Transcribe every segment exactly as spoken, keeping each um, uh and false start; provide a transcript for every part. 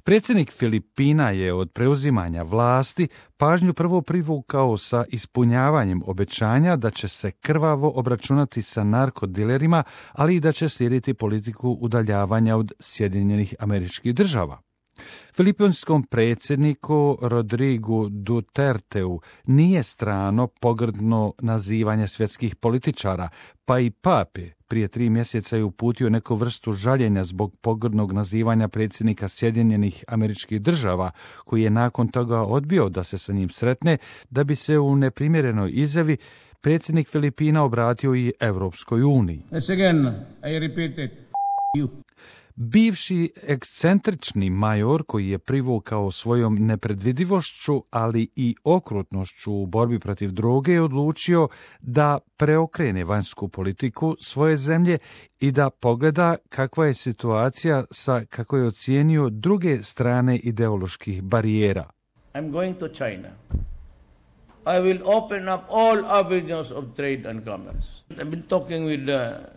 Predsjednik Filipina je od preuzimanja vlasti pažnju prvo privukao sa ispunjavanjem obećanja da će se krvavo obračunati sa narkodilerima, ali i da će slijediti politiku udaljavanja od Sjedinjenih Američkih Država. Filipinskom predsjedniku Rodrigu Duterteu nije strano pogrdno nazivanje svjetskih političara, pa i pape prije tri mjeseca je uputio neku vrstu žaljenja zbog pogrdnog nazivanja predsjednika Sjedinjenih Američkih Država, koji je nakon toga odbio da se sa njim sretne, da bi se u neprimjerenoj izjavi predsjednik Filipina obratio i Europskoj uniji. Again, I repeat it. You. Bivši ekscentrični major koji je privukao svojom nepredvidivošću, ali i okrutnošću u borbi protiv droge, je odlučio da preokrene vanjsku politiku svoje zemlje i da pogleda kakva je situacija sa, kako je ocijenio, druge strane ideoloških barijera. I'm going to China. I will open up all avenues of trade and commerce. I've been talking with the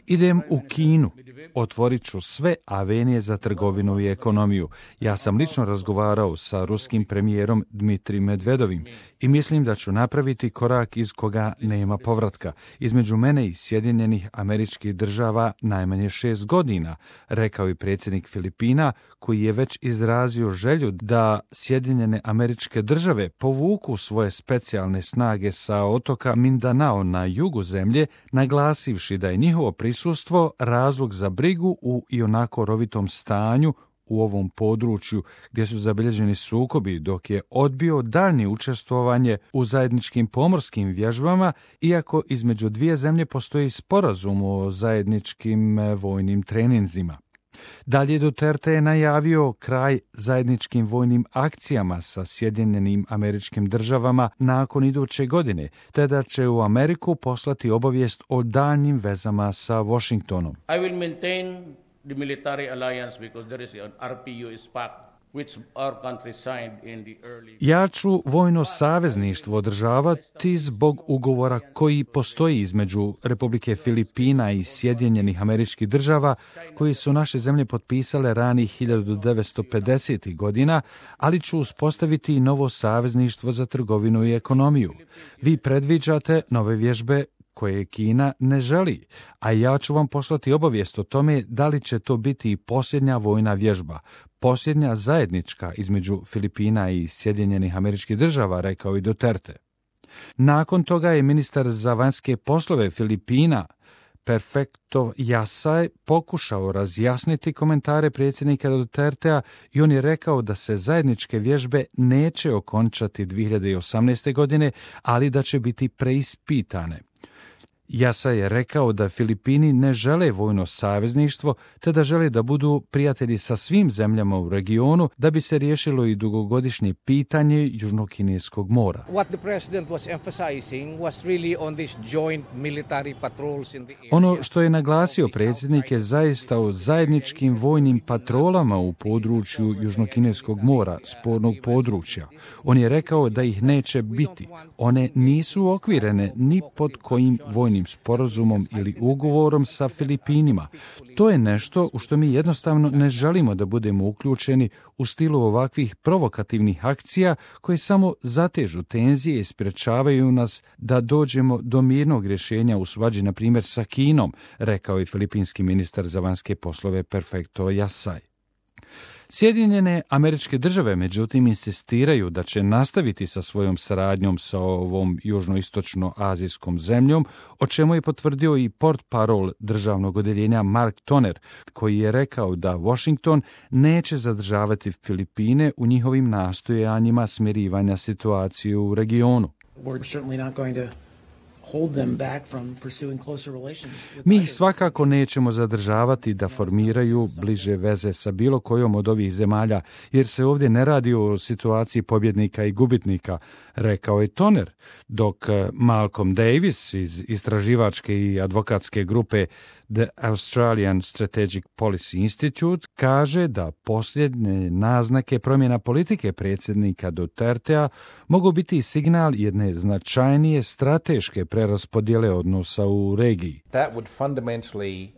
Idem u Kinu, otvorit ću sve avenije za trgovinu i ekonomiju. Ja sam lično razgovarao sa ruskim premijerom Dmitrijem Medvedovim i mislim da ću napraviti korak iz koga nema povratka. Između mene i Sjedinjenih Američkih Država najmanje šest godina, rekao je predsjednik Filipina, koji je već izrazio želju da Sjedinjene Američke Države povuku svoje specijalne snage sa otoka Mindanao na jugu zemlje, naglasivši da je njihovo prisustvo razlog za brigu u ionako rovitom stanju u ovom području gdje su zabilježeni sukobi, dok je odbio daljnje učestvovanje u zajedničkim pomorskim vježbama, iako između dvije zemlje postoji sporazum o zajedničkim vojnim treninzima. Dalje Duterte je najavio kraj zajedničkim vojnim akcijama sa Sjedinjenim Američkim Državama nakon iduće godine, te da će u Ameriku poslati obavijest o daljnjim vezama sa Washingtonom. I will maintain the military alliance because there is an R P U S pact which our country signed in the early... Ja ću vojno savezništvo održavati zbog ugovora koji postoji između Republike Filipina i Sjedinjenih Američkih Država, koji su naše zemlje potpisale ranih hiljadu devetsto pedesetih godina, ali ću uspostaviti i novo savezništvo za trgovinu i ekonomiju. Vi predviđate nove vježbe koje Kina ne želi, a ja ću vam poslati obavijest o tome da li će to biti posljednja vojna vježba, posljednja zajednička između Filipina i Sjedinjenih Američkih Država, rekao i Duterte. Nakon toga je ministar za vanjske poslove Filipina Perfecto Yasay pokušao razjasniti komentare predsjednika Dutertea i on je rekao da se zajedničke vježbe neće okončati dvije hiljade osamnaeste. godine, ali da će biti preispitane. Yasay je rekao da Filipini ne žele vojno savezništvo, te da žele da budu prijatelji sa svim zemljama u regionu da bi se riješilo i dugogodišnje pitanje Južnokineskog mora. Ono što je naglasio predsjednik je zaista o zajedničkim vojnim patrolama u području Južnokineskog mora, spornog područja. On je rekao da ih neće biti. One nisu okvirene ni pod kojim vojnim sporazumom ili ugovorom sa Filipinima. To je nešto u što mi jednostavno ne želimo da budemo uključeni u stilu ovakvih provokativnih akcija koje samo zatežu tenzije i sprečavaju nas da dođemo do mirnog rješenja u svađi, na primjer, sa Kinom, rekao je filipinski ministar za vanjske poslove Perfecto Yasay. Sjedinjene Američke Države, međutim, insistiraju da će nastaviti sa svojom saradnjom sa ovom južnoistočno-azijskom zemljom, o čemu je potvrdio i portparol državnog odjeljenja Mark Toner, koji je rekao da Washington neće zadržavati Filipine u njihovim nastojanjima smirivanja situacije u regionu. Mi ih svakako nećemo zadržavati da formiraju bliže veze sa bilo kojom od ovih zemalja, jer se ovdje ne radi o situaciji pobjednika i gubitnika, rekao je Toner, dok Malcolm Davis iz istraživačke i advokatske grupe The Australian Strategic Policy Institute kaže da posljednje naznake promjena politike predsjednika Dutertea mogu biti signal jedne značajnije strateške preraspodjele odnosa u regiji. That would fundamentally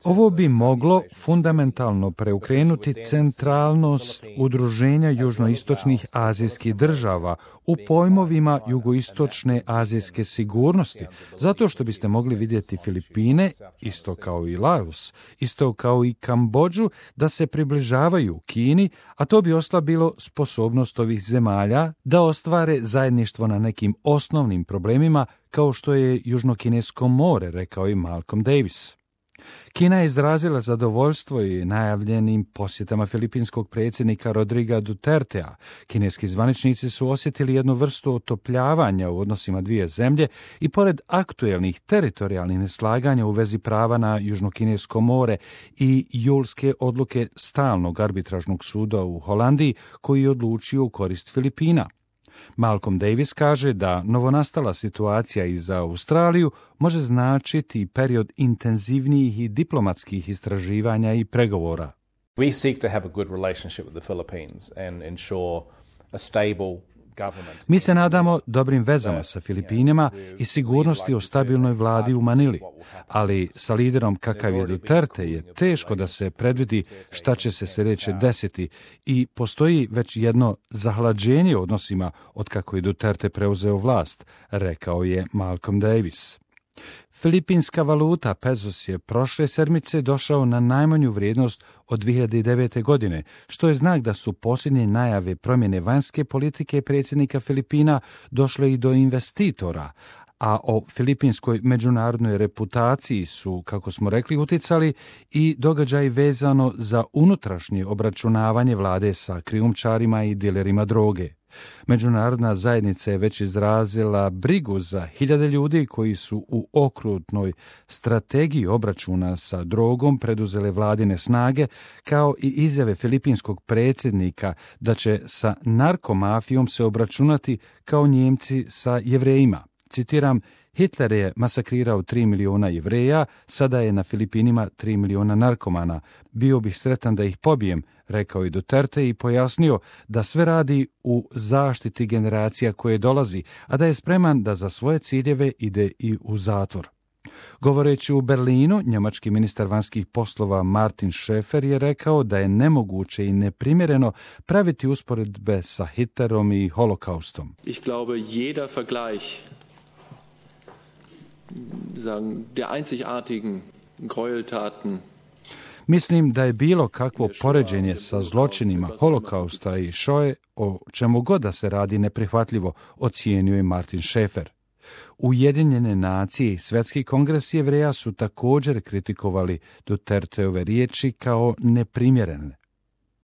Ovo bi moglo fundamentalno preokrenuti centralnost udruženja južnoistočnih azijskih država u pojmovima jugoistočne azijske sigurnosti, zato što biste mogli vidjeti Filipine, isto kao i Laos, isto kao i Kambodžu, da se približavaju Kini, a to bi oslabilo sposobnost ovih zemalja da ostvare zajedništvo na nekim osnovnim problemima kao što je Južnokinesko more, rekao i Malcolm Davis. Kina je izrazila zadovoljstvo i najavljenim posjetama filipinskog predsjednika Rodriga Dutertea. Kineski zvaničnici su osjetili jednu vrstu otopljavanja u odnosima dvije zemlje i pored aktuelnih teritorijalnih neslaganja u vezi prava na Južnokinesko more i julske odluke stalnog arbitražnog suda u Holandiji koji je odlučio u korist Filipina. Malcolm Davis kaže da novonastala situacija i za Australiju može značiti period intenzivnijih i diplomatskih istraživanja i pregovora. We seek to have a good relationship with the Philippines and ensure a stable government. Mi se nadamo dobrim vezama sa Filipinima i sigurnosti o stabilnoj vladi u Manili, ali sa liderom kakav je Duterte je teško da se predvidi šta će se sljedeće desiti i postoji već jedno zahlađenje u odnosima od kako je Duterte preuzeo vlast, rekao je Malcolm Davis. Filipinska valuta pesos je prošle sedmice došao na najmanju vrijednost od dvije hiljade devete. godine, što je znak da su posljednje najave promjene vanjske politike predsjednika Filipina došle i do investitora, a o filipinskoj međunarodnoj reputaciji su, kako smo rekli, uticali i događaj vezano za unutrašnje obračunavanje vlade sa krijumčarima i dilerima droge. Međunarodna zajednica je već izrazila brigu za hiljade ljudi koji su u okrutnoj strategiji obračuna sa drogom preduzele vladine snage, kao i izjave filipinskog predsjednika da će sa narkomafijom se obračunati kao Njemci sa Jevrejima. Citiram, Hitler je masakrirao tri miliona Jevreja, sada je na Filipinima tri miliona narkomana. Bio bih sretan da ih pobijem, rekao je Duterte i pojasnio da sve radi u zaštiti generacija koje dolazi, a da je spreman da za svoje ciljeve ide i u zatvor. Govoreći u Berlinu, njemački ministar vanjskih poslova Martin Schäfer je rekao da je nemoguće i neprimjereno praviti usporedbe sa Hitlerom i holokaustom. Ich glaube, jeder Vergleich sagen, der einzigartigen Gräueltaten. Mislim da je bilo kakvo poređenje sa zločinima holokausta i Shoe, o čemu god da se radi, neprihvatljivo, ocijenio je Martin Schäfer. Ujedinjene nacije i Svjetski kongres Jevreja su također kritikovali Duterteove riječi kao neprimjerene.